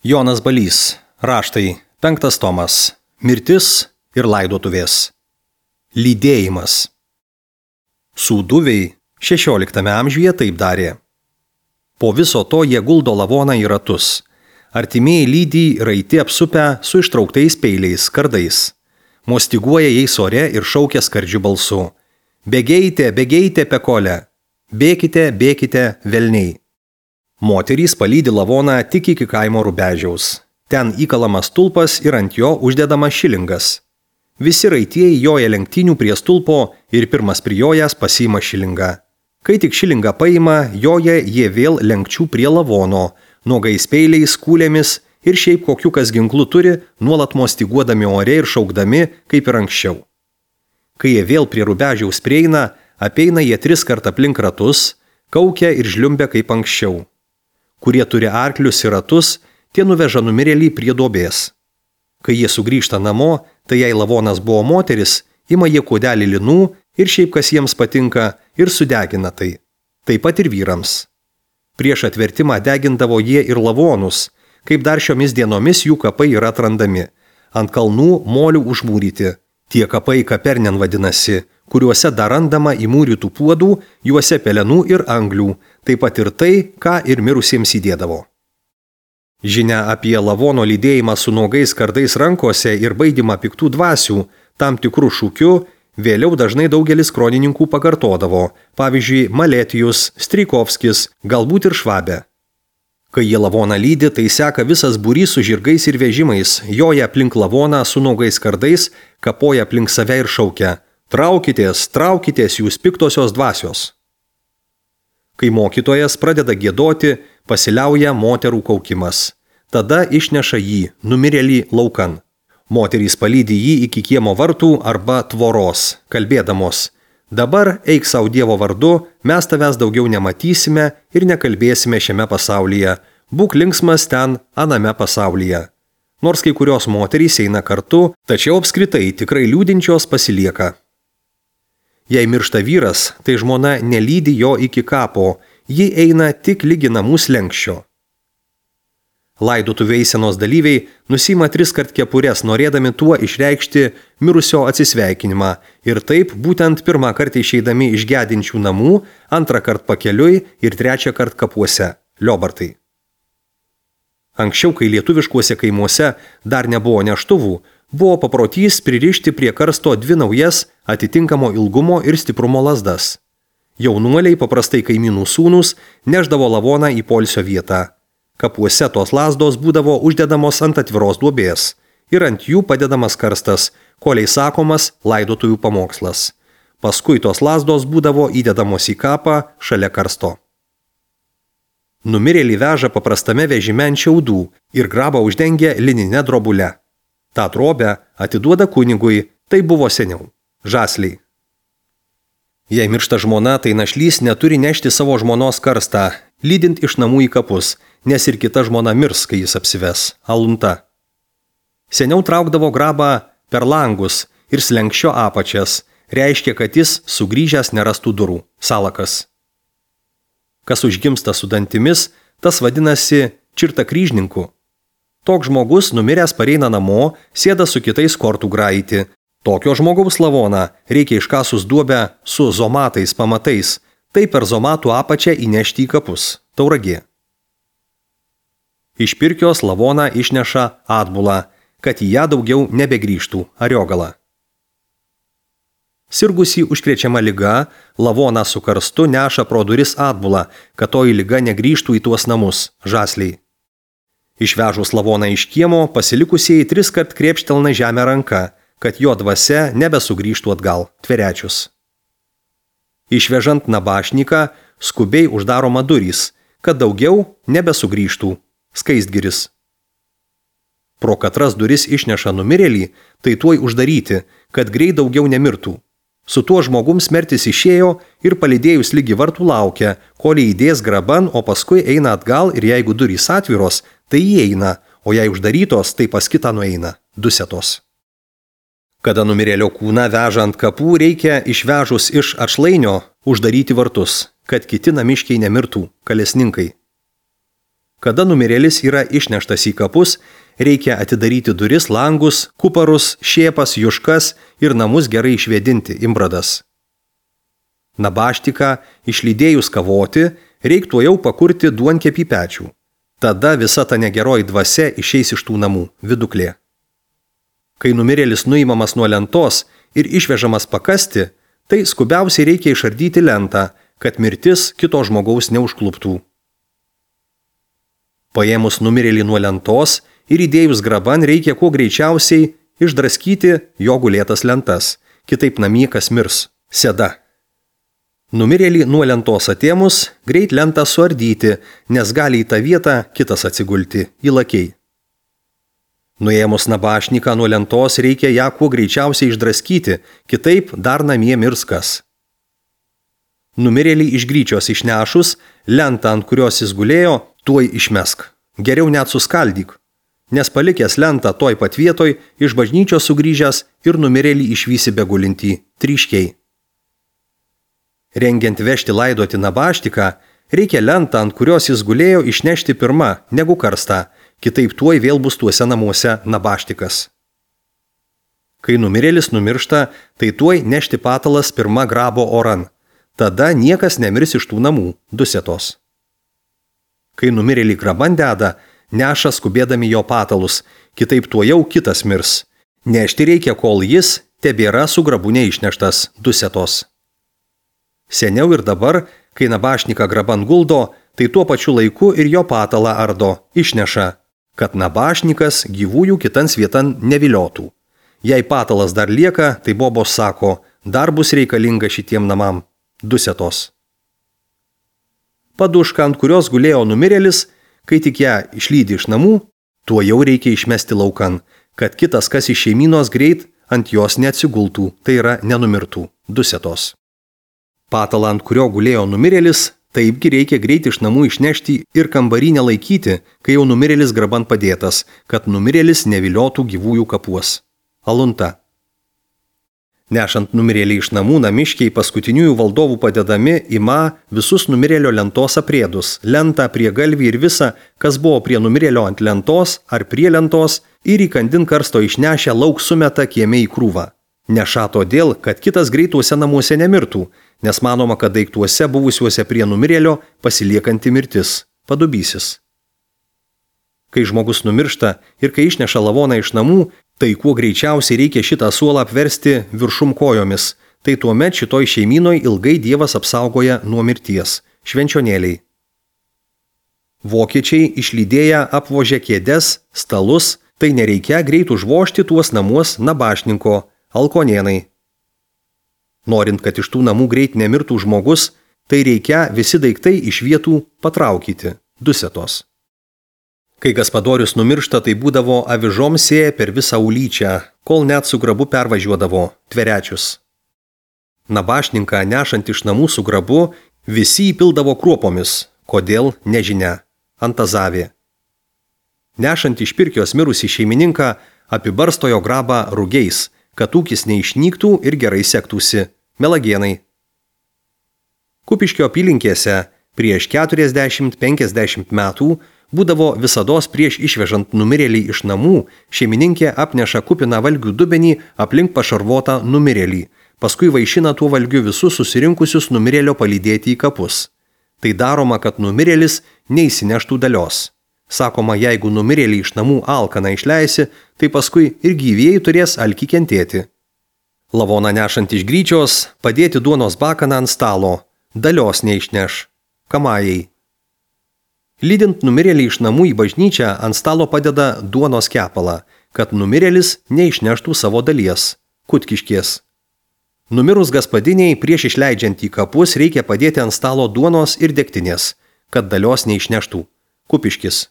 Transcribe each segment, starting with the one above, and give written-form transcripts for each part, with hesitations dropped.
Jonas Balys, raštai, 5 tomas, mirtis ir laidotuvės. Lydėjimas. Sūduviai 16 amžiuje taip darė. Po viso to jie guldo lavoną į ratus. Artimieji lydi raiti apsupę su ištrauktais peiliais, kardais. Mostiguoja jais ore ir šaukia skardžiu balsu. Bėgeite, bėgeite, pekole. Bėkite, bėkite, velniai. Moterys palydi lavoną tik iki kaimo rubežiaus. Ten įkalamas stulpas ir ant jo uždedamas šilingas. Visi raitieji joja lenktynių prie stulpo ir pirmas prijojęs pasiima šilingą. Kai tik šilingą paima, joja jie vėl lenkčių prie lavono, nuogais peiliais, kūlėmis ir šiaip kokiu kas ginklų turi, nuolat mostiguodami ore ir šaukdami, kaip ir anksčiau. Kai jie vėl prie rubežiaus prieina, apeina jie 3 kart aplink ratus, kaukia ir žliumbia kaip anksčiau. Kurie turi arklius ir ratus, tie nuveža numirėlį prie duobės. Kai jie sugrįžta namo, tai jei lavonas buvo moteris, ima jie kuodelį linų ir šiaip kas jiems patinka ir sudegina tai. Taip pat ir vyrams. Prieš atvertimą degindavo jie ir lavonus, kaip dar šiomis dienomis jų kapai yra atrandami. Ant kalnų molių užmūryti. Tie kapai Kapernen vadinasi, kuriuose dar randama įmūrytų puodų, juose pelenų ir anglių, taip pat ir tai, ką ir mirusiems įdėdavo. Žinia apie lavono lydėjimą su nuogais kardais rankose ir baidymą piktų dvasių, tam tikrų šūkių, vėliau dažnai daugelis kronininkų pakartodavo, pavyzdžiui, Maletijus, Strijkovskis, galbūt ir Švabė. Kai jie lavoną lydi, tai seka visas būrys su žirgais ir vežimais, joja aplink lavoną su nuogais kardais, kapoja aplink save ir šaukia: traukitės, traukitės jūs piktosios dvasios. Kai mokytojas pradeda giedoti, pasiliauja moterų kaukimas. Tada išneša jį, numirėlį, laukan. Moterys palydi jį iki kiemo vartų arba tvoros, kalbėdamos: dabar eik savo Dievo vardu, mes tavęs daugiau nematysime ir nekalbėsime šiame pasaulyje. Būk linksmas ten, aname pasaulyje. Nors kai kurios moterys eina kartu, tačiau apskritai tikrai liūdinčios pasilieka. Jei miršta vyras, tai žmona nelydi jo iki kapo, ji eina tik lygi namų slenkščio. Laidotuvių eisenos dalyviai nusima 3 kart kepures, norėdami tuo išreikšti mirusio atsisveikinimą ir taip būtent 1 kartą išeidami iš gedinčių namų, 2 kart pakeliui ir 3 kart kapuose – liobartai. Anksčiau, kai lietuviškuose kaimuose dar nebuvo neštuvų, buvo paprotys pririšti prie karsto 2 naujas atitinkamo ilgumo ir stiprumo lazdas. Jaunuoliai, paprastai kaimynų sūnūs, neždavo lavoną į poilsio vietą. Kapuose tos lazdos būdavo uždedamos ant atviros duobės ir ant jų padedamas karstas, koliai sakomas laidotuvių pamokslas. Paskui tos lazdos būdavo įdedamos į kapą šalia karsto. Numirėlį veža paprastame vežime ant šiaudų ir grabą uždengia linine drobule. Ta drobę atiduoda kunigui, tai buvo seniau – žasliai. Jei miršta žmona, tai našlys neturi nešti savo žmonos karstą, lydint iš namų į kapus, nes ir kita žmona mirs, kai jis apsives – alunta. Seniau traukdavo grabą per langus ir slenkščio apačias, reiškia, kad jis sugrįžęs nerastų durų – salakas. Kas užgimsta su dantimis, tas vadinasi čirta kryžninku. Toks žmogus numiręs pareina namo, sėda su kitais kortų graiti. Tokio žmogaus lavoną reikia iškasus duobę su zomatais pamatais, tai per zomatų apačią įnešti į kapus – Tauragė. Iš Pirkios lavoną išneša atbulą, kad į ją daugiau nebegrįžtų – Ariogala. Sirgusį užkrečiama liga, lavoną su karstu neša pro duris atbulą, kad toji liga negrįžtų į tuos namus – žasliai. Išvežus lavoną iš kiemo, pasilikusieji 3 kart krėpštelna žemę ranka, kad jo dvasia nebesugrįžtų atgal – Tverečius. Išvežant nabašniką, skubiai uždaroma durys, kad daugiau nebesugrįžtų – Skaistgiris. Pro katras duris išneša numirėlį, tai tuoj uždaryti, kad greit daugiau nemirtų. Su tuo žmogum smertis išėjo ir palydėjus lygi vartų laukia, kol įdės graban, o paskui eina atgal ir jeigu durys atviros, tai įeina, o jei uždarytos, tai pas kitą nueina – dusetos. Kada numirėlio kūną veža ant kapų, reikia išvežus iš atšlainio uždaryti vartus, kad kiti namiškiai nemirtų – kalesninkai. Kada numirėlis yra išneštas į kapus, reikia atidaryti duris, langus, kuparus, šėpas, juškas ir namus gerai išvėdinti imbradas. Nabaštiką išlydėjus kavoti, reiktų jau pakurti duonkepį pečių. Tada visa ta negeroji dvasia išeis iš tų namų viduklė. Kai numirėlis nuimamas nuo lentos ir išvežamas pakasti, tai skubiausiai reikia išardyti lentą, kad mirtis kito žmogaus neužkluptų. Paėmus numirėlį nuo lentos ir įdėjus graban reikia kuo greičiausiai išdraskyti jo gulėtas lentas, kitaip namie kas mirs – seda. Numirėlį nuo lentos atėmus, greit lentą suardyti, nes gali į tą vietą kitas atsigulti – įlakiai. Nuėmus nabašniką nuo lentos reikia ją kuo greičiausiai išdraskyti, kitaip dar namie mirs kas. Numirėlį iš gryčios išnešus, lentą, ant kurios jis gulėjo, tuoj išmesk. Geriau net suskaldyk, nes palikęs lentą toj pat vietoj, iš bažnyčios sugrįžęs ir numirėlį išvysi begulintį tryškiai. Rengiant vežti laidoti nabaštiką, reikia lentą, ant kurios jis gulėjo, išnešti pirma, negu karstą, kitaip tuoj vėl bus tuose namuose nabaštikas. Kai numirėlis numiršta, tai tuoj nešti patalas pirma grabo oran. Tada niekas nemirs iš tų namų, dusetos. Kai numirėlį graban deda, neša skubėdami jo patalus, kitaip tuojau kitas mirs. Nešti reikia, kol jis tebėra su grabu neišneštas, dusetos. Seniau ir dabar, kai nabašniką graban guldo, tai tuo pačiu laiku ir jo patalą ardo, išneša, kad nabašnikas gyvųjų kitans vietan neviliotų. Jei patalas dar lieka, tai bobos sako, dar bus reikalinga šitiem namam, dusetos. Padušką, ant kurios gulėjo numirėlis, kai tik ją išlydi iš namų, tuo jau reikia išmesti laukan, kad kitas kas iš šeimynos greit ant jos neatsigultų, tai yra nenumirtų, dusetos. Patalą, ant kurio gulėjo numirėlis, taipgi reikia greit iš namų išnešti ir kambarį nelaikyti, kai jau numirėlis graban padėtas, kad numirėlis neviliotų gyvųjų kapuos. Alunta. Nešant numirėlį iš namų, namiškiai paskutiniųjų valdovų padedami ima visus numirėlio lentos aprėdus, lentą, priegalvį ir visa, kas buvo prie numirėlio ant lentos ar prie lentos, ir įkandin karsto išnešę lauk sumeta kieme į krūvą. Neša todėl, kad kitas greituose namuose nemirtų, nes manoma, kad daiktuose buvusiuose prie numirėlio pasiliekanti mirtis, padubysis. Kai žmogus numiršta ir kai išneša lavoną iš namų, tai kuo greičiausiai reikia šitą suolą apversti viršum kojomis, tai tuomet šitoj šeimynoj ilgai Dievas apsaugoja nuo mirties, švenčionėliai. Vokiečiai išlydėję apvožė kėdes, stalus, tai nereikia greit užvožti tuos namuos nabašninko, alkonėnai. Norint, kad iš tų namų greit nemirtų žmogus, tai reikia visi daiktai iš vietų patraukyti, dusetos. Kai Gaspadorius numiršta, tai būdavo avižom sėję per visą ulyčią, kol net su grabu pervažiuodavo, tverečius. Nabašninką nešant iš namų su grabu, visi įpildavo kruopomis, kodėl nežinia, antazavė. Nešant iš pirkios mirusį šeimininką, apibarsto jo grabą rugiais, kad ūkis neišnyktų ir gerai sektųsi, melagienai. Kupiškio apylinkėse prieš 40-50 metų būdavo visados prieš išvežant numirėlį iš namų, šeimininkė apneša kupiną valgių dubenį aplink pašarvotą numirėlį, paskui vaišina tuo valgiu visus susirinkusius numirėlio palydėti į kapus. Tai daroma, kad numirėlis neįsineštų dalios. Sakoma, jeigu numirėlį iš namų alkaną išleisi, tai paskui ir gyvieji turės alkį kentėti. Lavoną nešant iš gryčios, padėti duonos bakaną ant stalo, dalios neišneš, kamajai. Lydint numirėlį iš namų į bažnyčią, ant stalo padeda duonos kepalą, kad numirėlis neišneštų savo dalies, kutkiškės. Numirus gaspadiniai, prieš išleidžiant į kapus, reikia padėti ant stalo duonos ir degtinės, kad dalios neišneštų, kupiškis.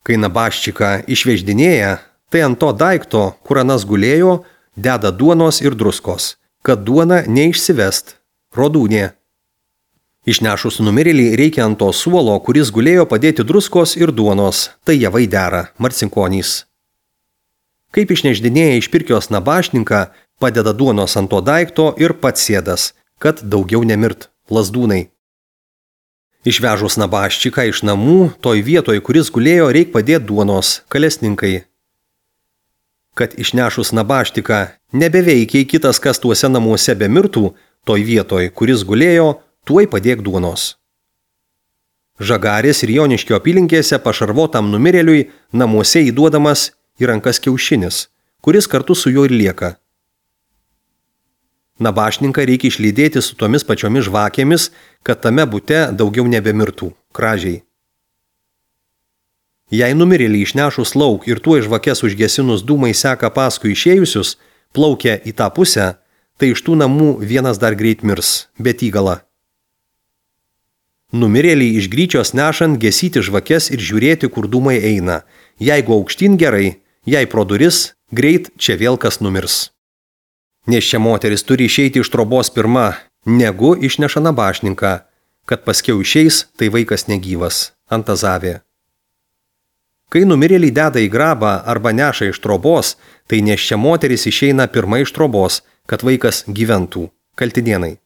Kai nabaščiką išveždinėja, tai ant to daikto, kur anas gulėjo, deda duonos ir druskos, kad duona neišsivest, rodūnė. Išnešus numirėlį reikia ant to suolo, kuris gulėjo padėti druskos ir duonos, tai javai dera, marcinkonys. Kaip išneždinėja iš pirkios nabašninką, padeda duonos ant to daikto ir pats sėdas, kad daugiau nemirt, lazdūnai. Išvežus nabaščiką iš namų, toj vietoj, kuris gulėjo, reik padėti duonos, kalesninkai. Kad išnešus nabaštiką nebeveikiai kitas, kas tuose namuose bemirtų, toj vietoj, kuris gulėjo, tuoj padėk duonos. Žagarės ir Joniškio apylinkėse pašarvotam numirėliui namuose įduodamas į rankas kiaušinis, kuris kartu su juo ir lieka. Nabašninką reikia išlydėti su tomis pačiomis žvakėmis, kad tame bute daugiau nebemirtų, kražiai. Jei numirėlį išnešus lauk ir tuo žvakės užgesinus dūmai seka paskui išėjusius, plaukia į tą pusę, tai iš tų namų vienas dar greit mirs, bet įgala. Numirėlį iš gryčios nešant gesyti žvakės ir žiūrėti, kur dūmai eina. Jeigu aukštyn gerai, jei pro duris, greit čia vėl kas numirs. Nes čia moteris turi išeiti iš trobos pirma, negu išneša nabašninką, kad paskiau išeis, tai vaikas negyvas, antazavė. Kai numirėlį deda į grabą arba neša iš trobos, tai nes čia moteris išeina pirma iš trobos, kad vaikas gyventų, kaltinienai.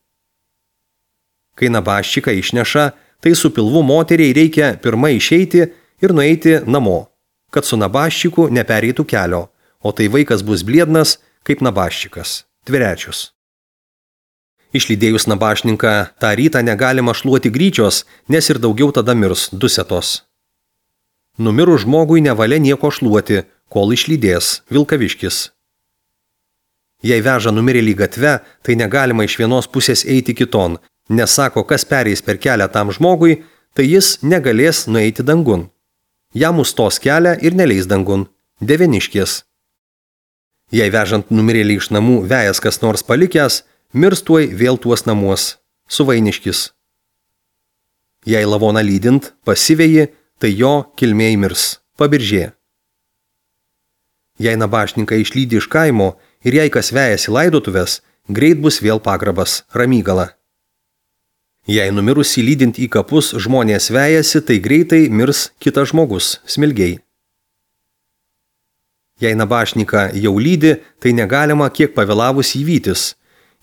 Kai nabaščiką išneša, tai su pilvu moteriai reikia pirma išeiti ir nueiti namo, kad su nabaščiku nepereitų kelio, o tai vaikas bus bliednas kaip nabaščikas, tverečius. Išlydėjus nabašninką, tą rytą negalima šluoti gryčios, nes ir daugiau tada mirs dusetos. Numirus žmogui nevalia nieko šluoti, kol išlydės Vilkaviškis. Jei veža numirėlį gatve, tai negalima iš vienos pusės eiti kiton, nes sako, kas pereis per kelią tam žmogui, tai jis negalės nueiti dangun. Jam užstos kelią ir neleis dangun. Deveniškės. Jei vežant numirėlį iš namų vejas kas nors palikęs, mirs tuoj vėl tuos namuos. Suvainiškis. Jei lavoną lydint, pasivėji, tai jo kilmėj mirs. Pabiržė. Jei nabašninką išlydi iš kaimo ir jei kas vejasi laidotuvės, greit bus vėl pagrabas, ramygala. Jei numirusį lydint į kapus žmonės vejasi, tai greitai mirs kitas žmogus, smilgiai. Jei nabašniką jau lydi, tai negalima kiek pavėlavus įvytis.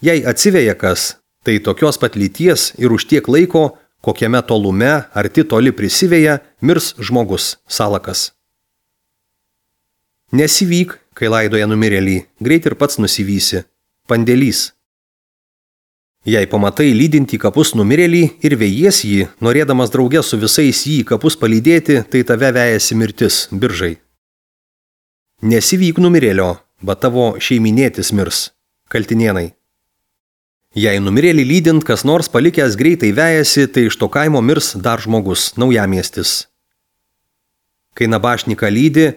Jei atsiveja kas, tai tokios pat lyties ir už tiek laiko, kokiame tolume arti toli prisiveja, mirs žmogus, salakas. Nesivyk, kai laidoja numirėlį, greit ir pats nusivysi. Pandėlys. Jei pamatai lydinti kapus numirėlį ir vejies jį, norėdamas drauge su visais jį kapus palydėti, tai tave vejasi mirtis, biržai. Nesivyk numirėlio, bet tavo šeiminėtis mirs, kaltinienai. Jei numirėlį lydint kas nors palikęs greitai vejasi, tai iš to kaimo mirs dar žmogus, naujamiestis. Kai nabašniką lydi,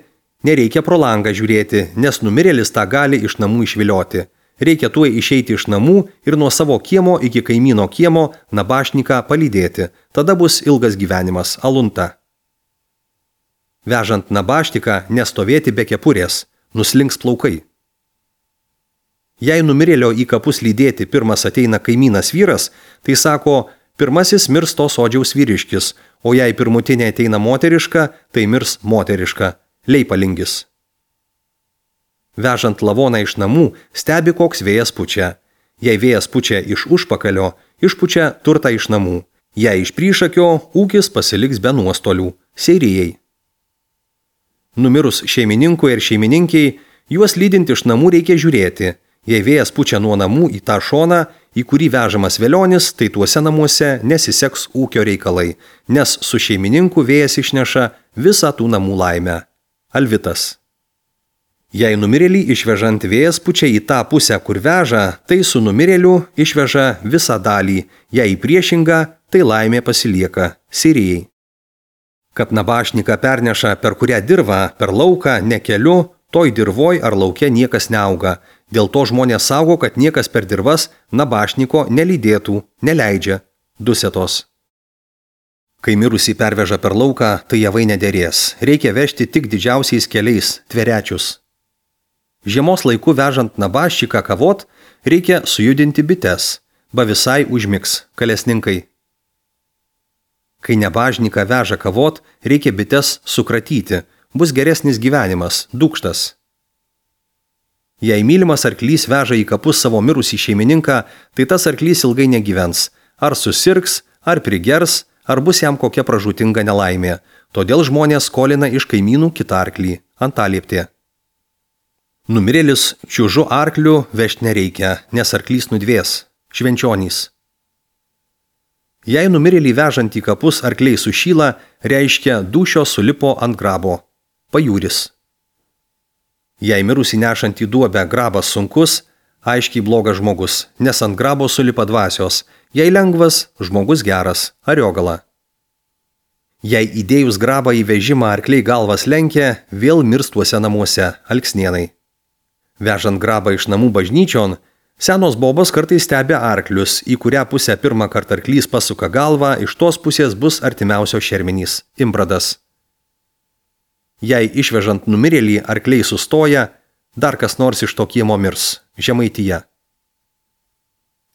nereikia pro langą žiūrėti, nes numirėlis tą gali iš namų išvilioti. Reikia tuoj išeiti iš namų ir nuo savo kiemo iki kaimyno kiemo nabašniką palydėti. Tada bus ilgas gyvenimas, alunta. Vežant nabaštiką nestovėti be kepurės, nuslinks plaukai. Jei numirėlio į kapus lydėti pirmas ateina kaimynas vyras, tai sako, pirmasis mirs to sodžiaus vyriškis, o jei pirmutinė ateina moteriška, tai mirs moteriška, leipalingis. Vežant lavoną iš namų, stebi, koks vėjas pučia. Jei vėjas pučia iš užpakalio, išpučia turtą iš namų. Jei iš priešakio, ūkis pasiliks be nuostolių, seirijai. Numirus šeimininkui ir šeimininkiai, juos lydint iš namų reikia žiūrėti. Jei vėjas pučia nuo namų į tą šoną, į kurį vežamas velionis, tai tuose namuose nesiseks ūkio reikalai, nes su šeimininku vėjas išneša visą tų namų laimę. Alvitas. Jei numirėlį išvežant vėjas pučia į tą pusę, kur veža, tai su numirėliu išveža visą dalį, jei priešinga, tai laimė pasilieka, sirijai. Kad nabašniką perneša per kurią dirvą, per lauką, ne keliu, toj dirvoj ar lauke niekas neauga. Dėl to žmonės saugo, kad niekas per dirvas nabašniko nelydėtų, neleidžia. Dusetos. Kai mirusį perveža per lauką, tai javai nederės. Reikia vežti tik didžiausiais keliais, tverečius. Žiemos laiku vežant nabaščiką kavot, reikia sujudinti bites, ba visai užmigs, kalesninkai. Kai nabašniką veža kavot, reikia bites sukratyti, bus geresnis gyvenimas, dūkštas. Jei mylimas arklys veža į kapus savo mirusį šeimininką, tai tas arklys ilgai negyvens, ar susirgs, ar prigers, ar bus jam kokia pražūtinga nelaimė, todėl žmonės skolina iš kaimynų kitą arklį, antalieptė. Numirėlis čiužu arkliu vežti nereikia, nes arklys nudvės, švenčionys. Jei numirėlį vežant į kapus arkliai sušyla, reiškia dūšios sulipo ant grabo, pajūris. Jei mirusį nešant į duobę grabas sunkus, aiškiai blogas žmogus, nes ant grabo sulipa dvasios, jei lengvas, žmogus geras, ariogala. Jei įdėjus grabą į vežimą arkliai galvas lenkia, vėl mirs tuose namuose, alksnienai. Vežant grabą iš namų bažnyčion, senos bobos kartais stebi arklius, į kurią pusę pirmą kartą arklys pasuka galvą, iš tos pusės bus artimiausio šermenys, imbradas. Jei išvežant numirėlį arkliai sustoja, dar kas nors iš to kiemo mirs, Žemaitija.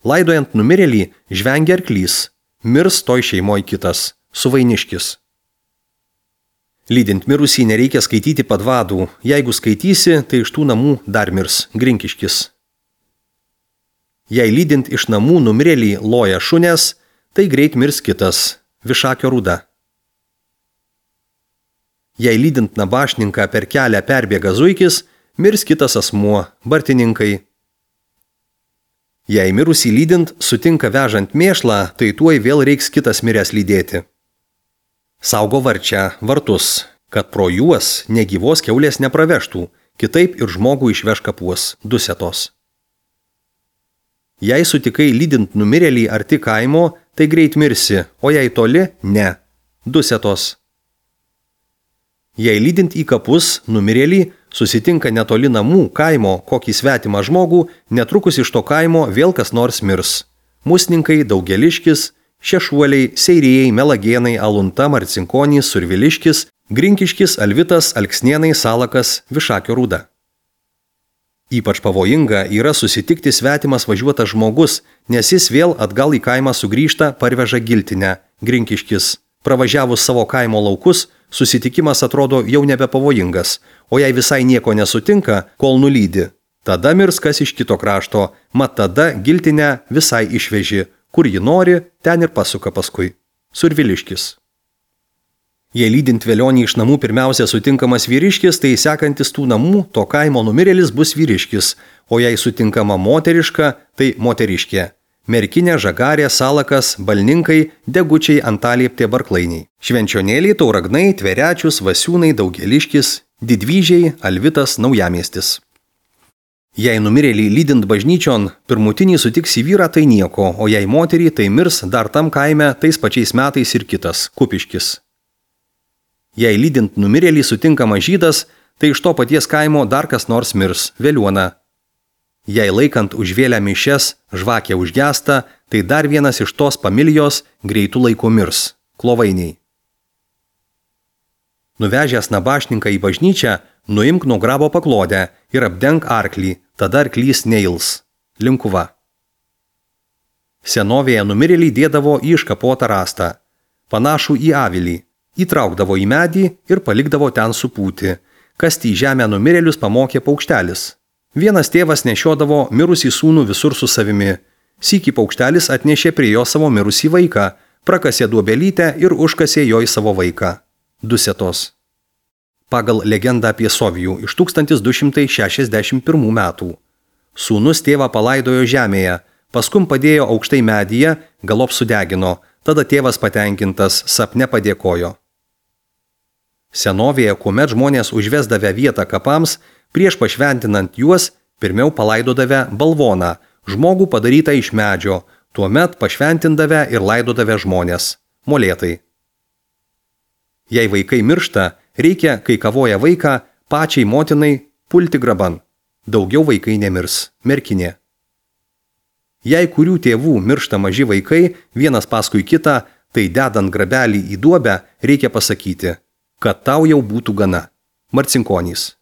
Laidojant numirėlį žvengia arklys, mirs toj šeimoj kitas, suvainiškis. Lydint mirusį nereikia skaityti padvadų, jeigu skaitysi, tai iš tų namų dar mirs, grinkiškis. Jei lydint iš namų numirėlį loja šunės, tai greit mirs kitas, višakio rūda. Jei lydint nabašninką per kelią perbėga zuikis, mirs kitas asmuo, bartininkai. Jei mirusį lydint sutinka vežant mėšlą, tai tuoj vėl reiks kitas miręs lydėti. Saugo varčią, vartus, kad pro juos negyvos kiaulės nepravežtų, kitaip ir žmogų išveš kapuos, dusetos. Jei sutikai lydint numirėlį arti kaimo, tai greit mirsi, o jei toli, ne, dusetos. Jei lydint į kapus numirėlį susitinka netoli namų, kaimo, kokį svetimą žmogų, netrukus iš to kaimo vėl kas nors mirs. Musninkai, daugeliškis, šešuoliai, seirėjai, melagėnai, alunta, marcinkonys, surviliškis, grinkiškis, alvitas, alksnienai, salakas, višakio rūda. Ypač pavojinga yra susitikti svetimas važiuotas žmogus, nes jis vėl atgal į kaimą sugrįžta, parveža giltinę, grinkiškis. Pravažiavus savo kaimo laukus, susitikimas atrodo jau nebepavojingas, o jei visai nieko nesutinka, kol nulydi. Tada mirs kas iš kito krašto, mat tada giltinę visai išveži, kur ji nori, ten ir pasuka paskui. Surviliškis. Jei lydint velionį iš namų pirmiausia sutinkamas vyriškis, tai sekantis tų namų, to kaimo numirėlis bus vyriškis, o jei sutinkama moteriška, tai moteriškė. Merkinė, žagarė, salakas, balninkai, degučiai, antalieptė, barklainiai. Švenčionėliai, tauragnai, tverečius, vasiūnai, daugeliškis, didvyžiai, alvitas, naujamiestis. Jei numirėlį lydint bažnyčion, pirmutinį sutiksi vyrą, tai nieko, o jei moterį, tai mirs dar tam kaime tais pačiais metais ir kitas, kupiškis. Jei lydint numirėlį sutinkama žydas, tai iš to paties kaimo dar kas nors mirs, veliuona. Jei laikant užvėlę mišias, žvakė užgesta, tai dar vienas iš tos familijos greitų laikų mirs, klovainiai. Nuvežęs nabašninką į bažnyčią, nuimk nuo grabo paklodę ir apdenk arklį, tada arklys neils, linkuva. Senovėje numirėlį dėdavo į iškapotą rastą, panašų į avilį, įtraukdavo į medį ir palikdavo ten supūti, kasti į žemę numirėlius pamokė paukštelis. Vienas tėvas nešiodavo mirusį sūnų visur su savimi. Sykį paukštelis atnešė prie jo savo mirusį vaiką, prakasė duobelytę ir užkasė jo į savo vaiką. Dusetos. Pagal legendą apie Sovijų iš 1261 metų. Sūnus tėvą palaidojo žemėje, paskum padėjo aukštai medyje, galop sudegino, tada tėvas patenkintas sapne padėkojo. Senovėje, kuomet žmonės užvesdavę vietą kapams, prieš pašventinant juos, pirmiau palaidodavę balvoną, žmogų padarytą iš medžio, tuomet pašventindavę ir laidodavę žmonės, molėtai. Jei vaikai miršta, reikia, kai kavoja vaiką, pačiai motinai pulti graban. Daugiau vaikai nemirs, merkinė. Jei kurių tėvų miršta maži vaikai, vienas paskui kitą, tai dedant grabelį į duobę, reikia pasakyti, kad tau jau būtų gana. Marcinkonys.